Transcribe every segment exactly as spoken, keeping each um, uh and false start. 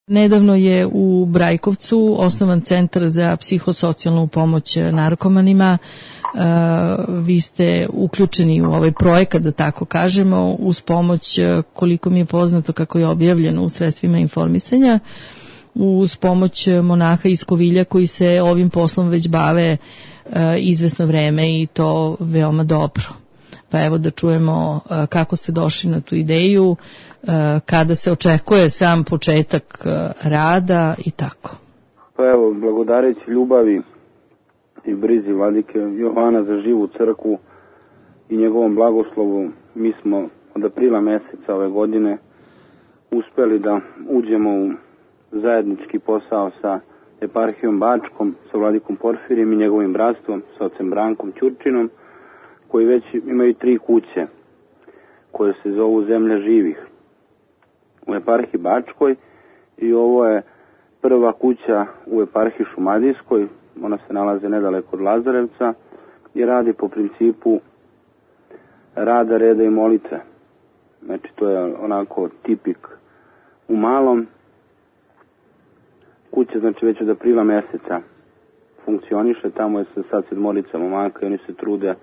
Nedavno je u Brajkovcu osnovan centar za psihosocijalnu pomoć narkomanima. Vi ste uključeni u ovaj projekat, da tako kažemo, uz pomoć, koliko mi je poznato, kako je objavljeno u sredstvima informisanja, uz pomoć monaha iz Kovilja koji se ovim poslom već bave izvesno vreme i to veoma dobro. Pa evo da čujemo kako ste došli na tu ideju, kada se očekuje sam početak rada i tako. Pa evo, blagodareći ljubavi i brizi vladike Jovana za živu crkvu i njegovom blagoslovu, mi smo od aprila meseca ove godine uspeli da uđemo u zajednički posao sa eparhijom Bačkom, sa vladikom Porfirijem i njegovim bratstvom, sa ocem Brankom Ćurčinom, koji već imaju tri kuće koje se zovu Zemlja živih u eparhiji Bačkoj, i ovo je prva kuća u eparhiji Šumadijskoj. Ona se nalaze nedaleko od Lazarevca i radi po principu rada, reda i molitve. Znači to je onako tipik u malom. Kuća znači već od aprila meseca funkcioniše, tamo je sad sedmorica momaka i oni se trude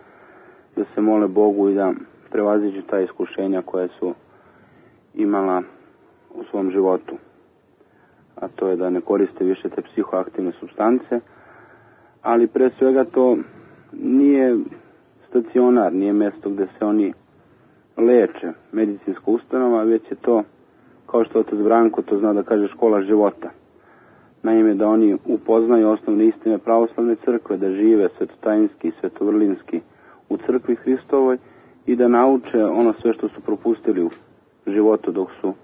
da se mole Bogu i da prevaziđu ta iskušenja koje su imala u svom životu. A to je da ne koriste više te psihoaktivne supstance, ali pre svega to nije stacionar, nije mesto gde se oni leče, medicinska ustanova, već je to, kao što otac Branko to zna da kaže, škola života. Naime, da oni upoznaju osnovne istine pravoslavne crkve, da žive svetotajinski i svetovrlinski u crkvi Hristovoj i da nauče ono sve što su propustili u životu dok su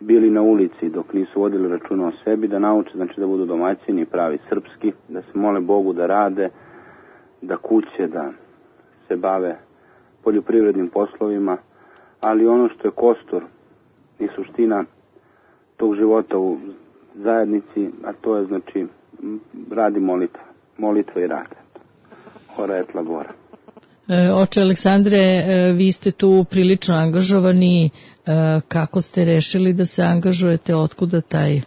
bili na ulici, dok nisu vodili računa o sebi, da nauče, znači da budu domaćini, pravi srpski, da se mole Bogu, da rade, da kuće, da se bave poljoprivrednim poslovima, ali ono što je kostur i suština tog života u zajednici, a to je znači radi molitva, molitva i rad. Ora et labora. Oče Aleksandre, vi ste tu prilično angažovani. Kako ste rešili da se angažujete? Otkuda taj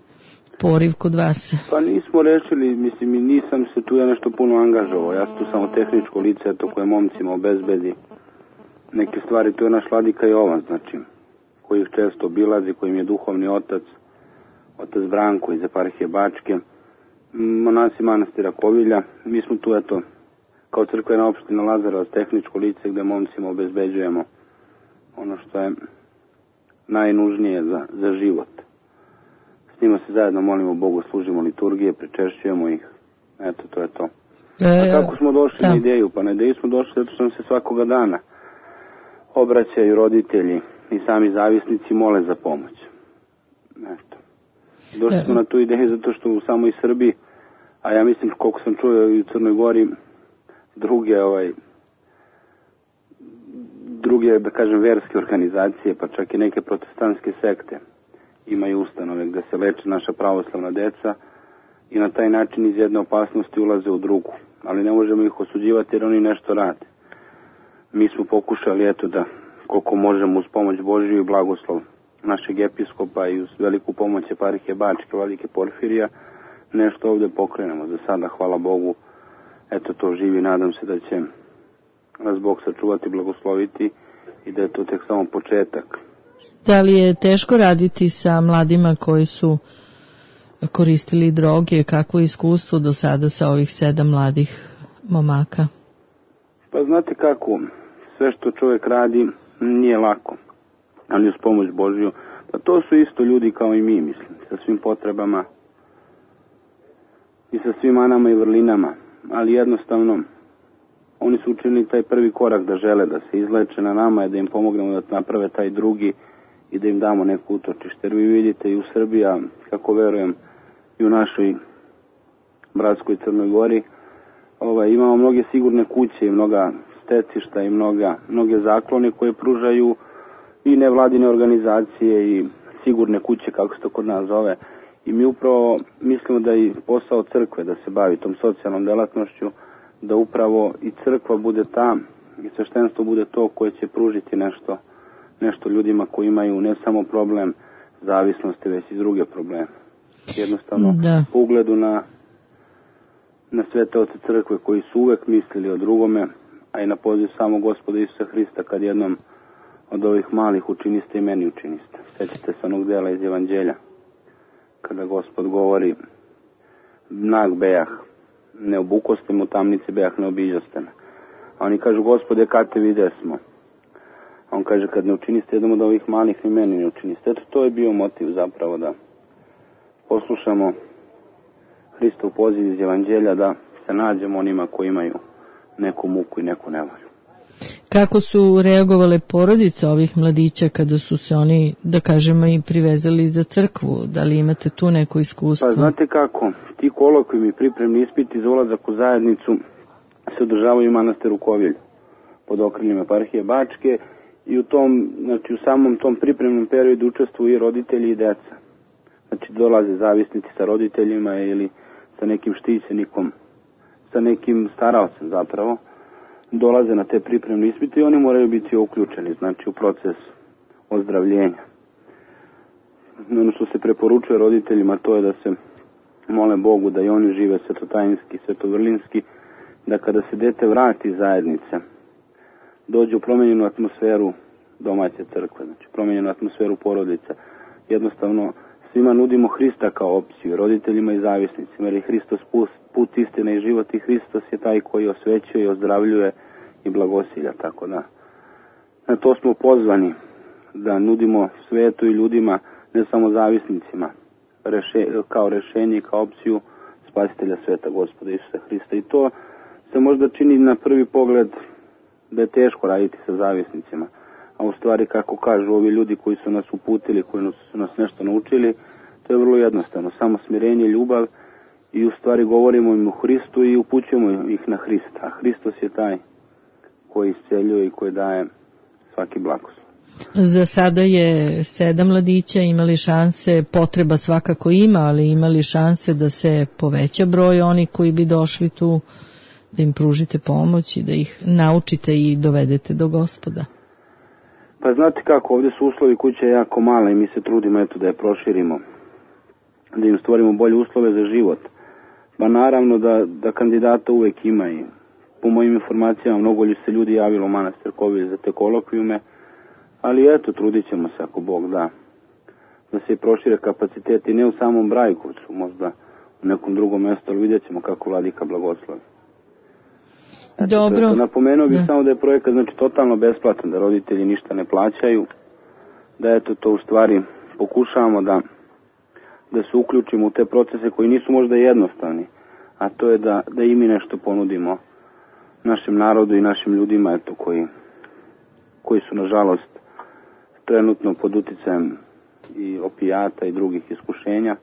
poriv kod vas? Pa nismo rešili, mislim, i nisam se tu ja nešto puno angažovao. Ja sam tu samo tehničko lice, to koje momcima obezbedi neke stvari. To je naš vladika Jovan, znači, koji ih često obilazi, kojim je duhovni otac, otac Branko iz eparhije Bačke, monasi manastira Kovilja. Mi smo tu, eto, kao crkvena opština Lazarevac, tehničko lice gde momcima obezbeđujemo ono što je najnužnije za, za život. S njima se zajedno molimo Bogu, služimo liturgije, pričešćujemo ih. Eto, to je to. A kako smo došli da. na ideju? Pa na ideju smo došli zato što nam se svakoga dana obraćaju roditelji i sami zavisnici mole za pomoć. Eto. Došli smo na tu ideju zato što u samoj Srbiji, a ja mislim koliko sam čuo i u Crnoj Gori, druge ovaj druge, da kažem, verske organizacije, pa čak i neke protestantske sekte imaju ustanove gde se leče naša pravoslavna deca i na taj način iz jedne opasnosti ulaze u drugu. Ali ne možemo ih osuđivati jer oni nešto rade. Mi smo pokušali, eto, da koliko možemo uz pomoć Božiju i blagoslov našeg episkopa i uz veliku pomoć eparhije Bačke, vladike Porfirija, nešto ovdje pokrenemo. Za sada, hvala Bogu, eto, to živi, nadam se da će nas Bog sačuvati, blagosloviti i da je to tek samo početak. Da li je teško raditi sa mladima koji su koristili droge? Kako je iskustvo do sada sa ovih sedam mladih momaka? Pa znate kako, sve što čovjek radi nije lako, ali uz pomoć Božju. Pa to su isto ljudi kao i mi, mislim, sa svim potrebama i sa svim manama i vrlinama, ali jednostavno oni su učinili taj prvi korak da žele da se izleče. Na nama je da im pomognemo da naprave taj drugi i da im damo neku utočište. Jer vi vidite i u Srbiji, kako verujem i u našoj bratskoj Crnoj Gori, ovaj, imamo mnoge sigurne kuće i mnoga stecišta i mnoga, mnoge zaklone koje pružaju i nevladine organizacije i sigurne kuće, kako se to kod nas zove. I mi upravo mislimo da je posao crkve da se bavi tom socijalnom delatnošću, da upravo i crkva bude ta i sveštenstvo bude to koje će pružiti nešto, nešto ljudima koji imaju ne samo problem zavisnosti, već i druge probleme. jednostavno da. Po ugledu na, na svete oce crkve koji su uvek mislili o drugome, a i na poziv samog Gospoda Isusa Hrista, kad jednom od ovih malih učiniste i meni učiniste. Sjećate se onog dela iz Evanđelja, kada Gospod govori, nag bejah, ne obukoste mu tamnici bejah, ne obiđoste me. A oni kažu, Gospode, kad te vide smo? A on kaže, kad ne učiniste jednom od ovih malih, ni meni ne učiniste. Eto, to je bio motiv zapravo da poslušamo Hristov poziv iz Evanđelja, da se nađemo onima koji imaju neku muku i neku nevolju. Kako su reagovale porodice ovih mladića kada su se oni, da kažemo, i privezali za crkvu? Da li imate tu neko iskustvo? Pa znate kako, ti kolokvijumi pripremni ispiti za ulazak u zajednicu se održavaju u manastiru Kovilj pod okriljem eparhije Bačke i u tom, znači u samom tom pripremnom periodu učestvuju i roditelji i deca. Znači dolaze zavisnici sa roditeljima ili sa nekim štićenikom, sa nekim staraocem zapravo, dolaze na te pripremne ispite i oni moraju biti uključeni, znači u proces ozdravljenja. Ono što se preporučuje roditeljima, to je da se mole Bogu da i oni žive svetotajinski, svetovrlinski, da kada se dete vrati iz zajednice, dođe u promenjenu atmosferu domaće crkve, znači promenjenu atmosferu porodice. Jednostavno svima nudimo Hrista kao opciju, roditeljima i zavisnicima, jer je Hristos put, istine i život i Hristos je taj koji osvećuje i ozdravljuje i blagosilja, tako da. Na to smo pozvani, da nudimo svetu i ljudima, ne samo zavisnicima, reše, kao rešenje i kao opciju spasitelja sveta, Gospoda Isusa Hrista. I to se možda čini na prvi pogled da je teško raditi sa zavisnicima, a u stvari, kako kažu ovi ljudi koji su nas uputili, koji su nas nešto naučili, to je vrlo jednostavno, samo smirenje, ljubav i u stvari govorimo im o Hristu i upućujemo ih na Hrista, a Hristos je taj koji isceljuje i koji daje svaki blagoslov. Za sada je sedam mladića, imali šanse, potreba svakako ima, ali imali šanse da se poveća broj oni koji bi došli tu, da im pružite pomoć i da ih naučite i dovedete do Gospoda. Pa znate kako, ovdje su uslovi kuće jako male i mi se trudimo eto da je proširimo, da im stvorimo bolje uslove za život. Pa naravno da, da kandidata uvek ima i po mojim informacijama mnogo li se ljudi javilo u manastir Kovilj za te kolokvijume, ali eto, trudit ćemo se ako Bog da, da se prošire kapaciteti, ne u samom Brajkovcu, možda u nekom drugom mjestu, ali vidjet ćemo kako vladika blagoslovi. Eto, dobro. Napomenuo bih samo da je projekat znači totalno besplatan, da roditelji ništa ne plaćaju, da eto to u stvari pokušavamo da, da se uključimo u te procese koji nisu možda jednostavni, a to je da, da i mi nešto ponudimo našem narodu i našim ljudima eto koji, koji su nažalost trenutno pod uticajem i opijata i drugih iskušenja.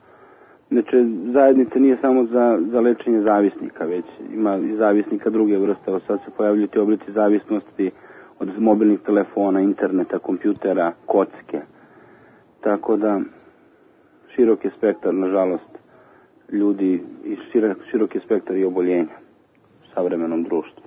Znači, zajednica nije samo za, za lečenje zavisnika, već ima i zavisnika druge vrste. Evo sad se pojavljuju ti oblici zavisnosti od mobilnih telefona, interneta, kompjutera, kocke. Tako da, širok je spektar, nažalost, ljudi i širok, širok je spektar i oboljenja u savremenom društvu.